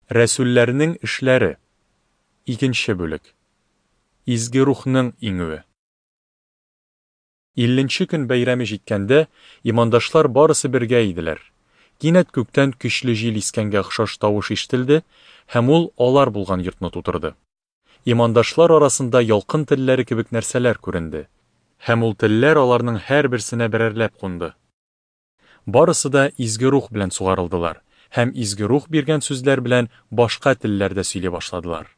Рәсүлләрнең эшләре. Икенче бүлек. Изге Рухның иңүе. Илленче көн бәйрәме җиткәндә, имандашлар барысы бергә иделәр. Кинәт күктән көчле җил искәнгә охшаш тавыш ишетелде, һәм ул алар булган йортны тутырды. Имандашлар арасында ялкын телләре кебек нәрсәләр күренде, һәм ул телләр аларның һәрберсенә берәрләп кунды. Барысы да Изге Рух белән сугарылдылар һәм Изге Рух биргән сүзләр белән башка телләрдә сөйли башладылар.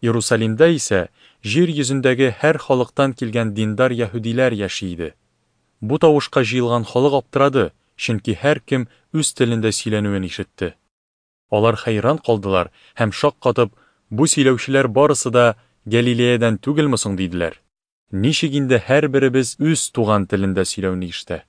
Иерусалимда исә җир йөзендәге һәр халыктан килгән диндар яһүдиләр яши иде. Бу тавышка җыелган халык аптырады, чөнки һәркем үз телендә сөйләнүен ишетте. Алар хәйран калдылар һәм шаккатып, Бу сөйләүчеләр барысы да Гәлиләядән түгелме соң? диделәр. Ничек инде һәрберебез үз туган телендә сөйләүне ишетә?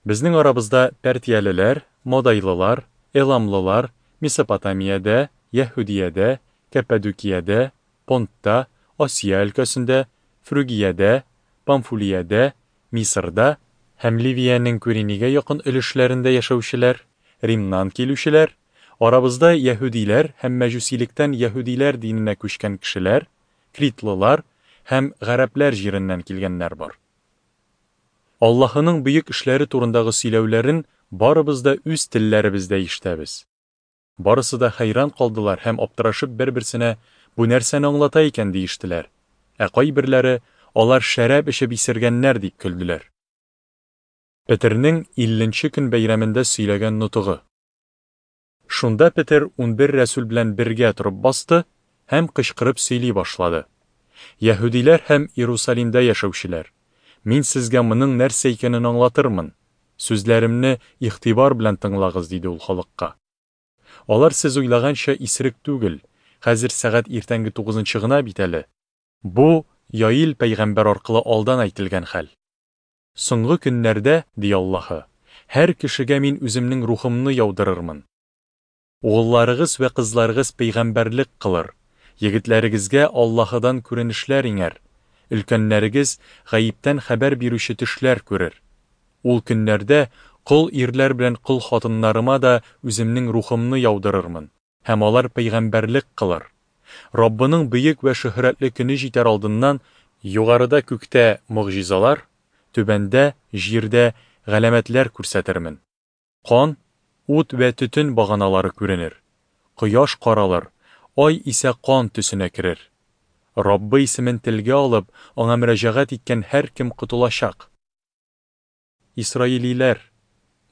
Безнең арабызда пәртиялеләр, модайлылар, эламлылар, Месопотамиядә, Яһүдиядә, Кәппәдүкиядә, Понтта, Асия өлкәсендә, Фрүгиядә, Памфулиядә, Мисырда һәм Ливиянең Күринигә якын өлешләрендә яшәүчеләр, Римнан килүчеләр, арабызда яһүдиләр һәм мәҗүсилектән яһүдиләр диненә күчкән кешеләр, критлылар һәм гарәпләр җиреннән килгәннәр бар. Аллаһының бөек эшләре турындагы сөйләүләрен барыбыз да үз телләребездә ишетәбез. Барысы да хәйран калдылар һәм аптырашып бер-берсенә, Бу нәрсәне аңлата икән, диештеләр. Ә кайберләре, Алар шәраб эчеп исергәннәр, дип көлделәр. Петернең Илленче көн бәйрәмендә сөйләгән нотыгы. Шунда Петер 11 рәсүл белән бергә торып басты һәм кычкырып сөйли башлады, Яһүдиләр һәм Иерусалимдә яшәүчеләр, мин сезгә моның нәрсә икәнен аңлатырмын, сүзләремне игътибар белән тыңлагыз, диде ул халыкка. Алар сез уйлаганча исерек түгел, хәзер сәгать иртәнге тугызынчы гына бит әле. Бу, Йоил пәйгамбәр аркылы алдан әйтелгән хәл. Соңгы көннәрдә, ди Аллаһы, һәр кешегә мин үземнең рухымны яудырырмын. Угылларыгыз вә кызларыгыз пәйгамбәрлек кылыр, егетләрегезгә Аллаһыдан күренешләр иңәр, өлкәннәрегез гаептән хәбәр бирүче төшләр күрер. Ул көннәрдә кол ирләр белән кол хатыннарыма да үземнең рухымны яудырырмын, һәм алар пәйгамбәрлек кылыр. Раббының бөек вә шөһрәтле көне җитәр алдыннан югарыда күктә могҗизалар, түбәндә җирдә галәмәтләр күрсәтермен. Кан, ут вә төтен баганалары күренер. Кояш каралыр, ай исә кан төсенә керер. Раббы исемен телгә алып, аңа мөрәҗәгать иткән һәркем котылачак. Исраилиләр,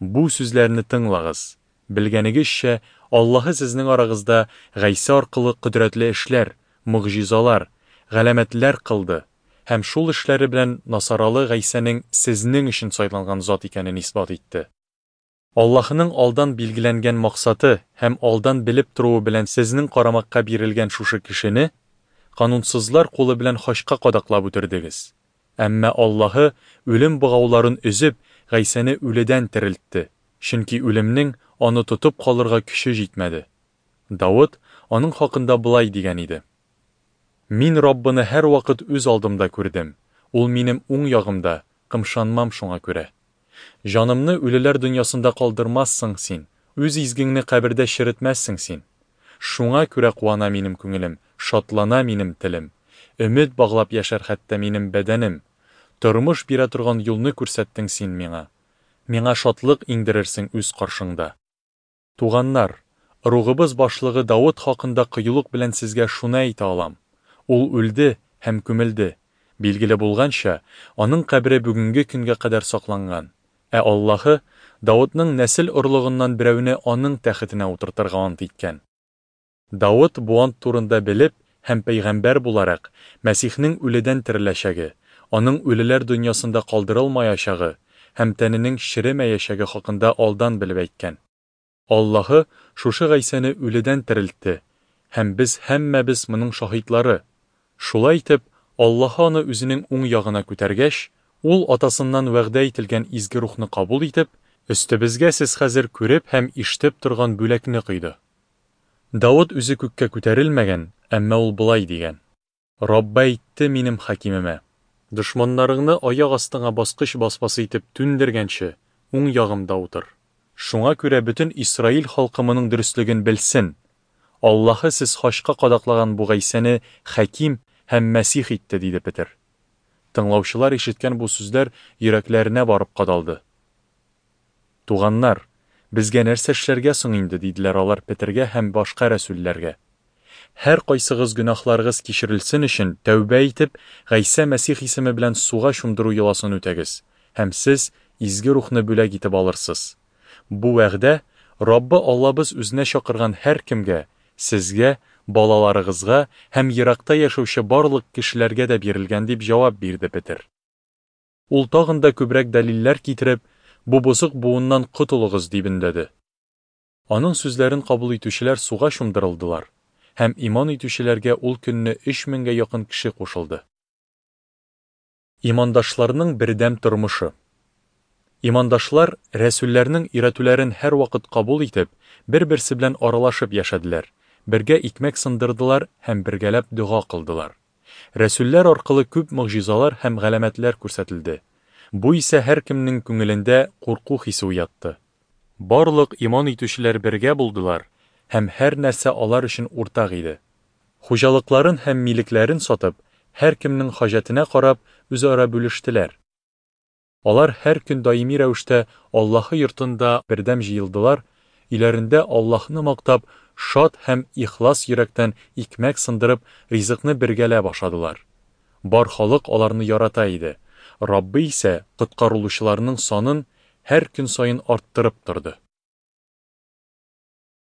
бу сүзләрне тыңлагыз, белгәнегезчә, Аллаһы сезнең арагызда Гайсә аркылы кодрәтле эшләр, могҗизалар, галәмәтләр кылды һәм шул эшләре белән Насаралы Гайсәнең сезнең өчен сайланган зат икәнен исбат итте. Аллаһының алдан билгеләнгән максаты һәм алдан белеп торуы белән сезнең карамакка бирелгән шушы кешене канунсызлар кулы белән хачка кадаклап үтердегез. Әмма Аллаһы, үлем богауларын өзеп, Гайсәне үледән терелтте, чөнки үлемнең аны тотып калырга көче җитмәде. Давыт аның хакында болай дигән иде, Мин Раббыны һәрвакыт үз алдымда күрдем, ул минем уң ягымда, кымшанмам шуңа күрә. Җанымны үлеләр дөньясында калдырмассың Син, Үз изгеңне кабердә черетмәссең Син. Шуңа күрә куана минем күңелем, шатлана минем телем. Өмет баглап яшәр хәтта минем бәдәнем. Тормыш бирә торган юлны күрсәттең Син миңа. Миңа шатлык иңдерерсең үз каршыңда. Туганнар, ыругыбыз башлыгы Давыт хакында кыюлык белән сезгә шуны әйтә алам, ул үлде һәм күмелде, билгеле булганча, аның кабере бүгенге көнгә кадәр сакланган. Ә Аллаһы Давытның нәсел орлыгыннан берәүне аның тәхетенә утыртырга ант иткән. Давыт бу ант турында белеп һәм пәйгамбәр буларак, Мәсихнең үледән тереләчәге, аның үлеләр дөньясында калдырылмаячагы һәм тәненең черемәячәге хакында алдан белеп әйткән. Аллаһы шушы Гайсәне үледән терелтте, һәм без һәммәбез моның шаһитлары. Шулай итеп, Аллаһы аны үзенең уң ягына күтәргәч, ул Атасыннан вәгъдә ителгән Изге Рухны кабул итеп, өстебезгә сез хәзер күреп һәм ишетеп торган бүләкне койды. Давыт үзе күккә күтәрелмәгән, әмма ул болай дигән. Раббы әйтте минем хакимемә, Дошманнарыңны аяк астыңа баскыч басмасы итеп түндергәнче, уң ягымда утыр. Шуңа күрә бөтен Исраил халкы моның дөреслеген белсен! Аллаһы сез хачка кадаклаган бу Гайсәне Хаким һәм Мәсих итте, диде Петер. Тыңлаучылар ишеткән бу сүзләр йөрәкләренә барып кадалды. Туганнар, безгә нәрсә эшләргә соң инде, диделәр алар Петергә һәм башка рәсүлләргә. Һәркайсыгыз гөнаһларыгыз кичерелсен өчен, тәүбә итеп, Гайсә Мәсих исеме белән суга чумдыру йоласын үтәгез, һәм сез Изге Рухны бүләк итеп алырсыз. Бу вәгъдә Раббы Аллабыз үзенә чакырган һәркемгә, сезгә, балаларыгызга һәм еракта яшәүче барлык кешеләргә дә бирелгән, дип җавап бирде Петер. Ул тагын да күбрәк дәлилләр китереп, Бу бозык буыннан котылыгыз, дип өндәде. Аның сүзләрен кабул итүчеләр суга чумдырылдылар, һәм иман итүчеләргә ул көнне өч меңгә якын кеше кушылды. Имандашларның бердәм тормышы. Имандашлар, рәсүлләрнең өйрәтүләрен һәрвакыт кабул итеп, бер-берсе белән аралашып яшәделәр, бергә икмәк сындырдылар һәм бергәләп дога кылдылар. Рәсүлләр аркылы күп могҗизалар һәм галәмәтләр күрсәтелде. Бу исә һәркемнең күңелендә курку хисе уятты. Барлык иман итүчеләр бергә булдылар һәм һәр нәрсә алар өчен уртак иде. Хуҗалыкларын һәм милекләрен сатып, һәркемнең хаҗәтенә карап, үзара бүлештеләр. Алар һәр көн даими рәвештә Аллаһы йортында бердәм җыелдылар, өйләрендә Аллаһны мактап, шат һәм ихлас йөрәктән икмәк сындырып, ризыкны бергәләп ашадылар. Бар халык аларны ярата иде. Раббы исә коткарылучыларның санын һәр көн саен арттырып торды.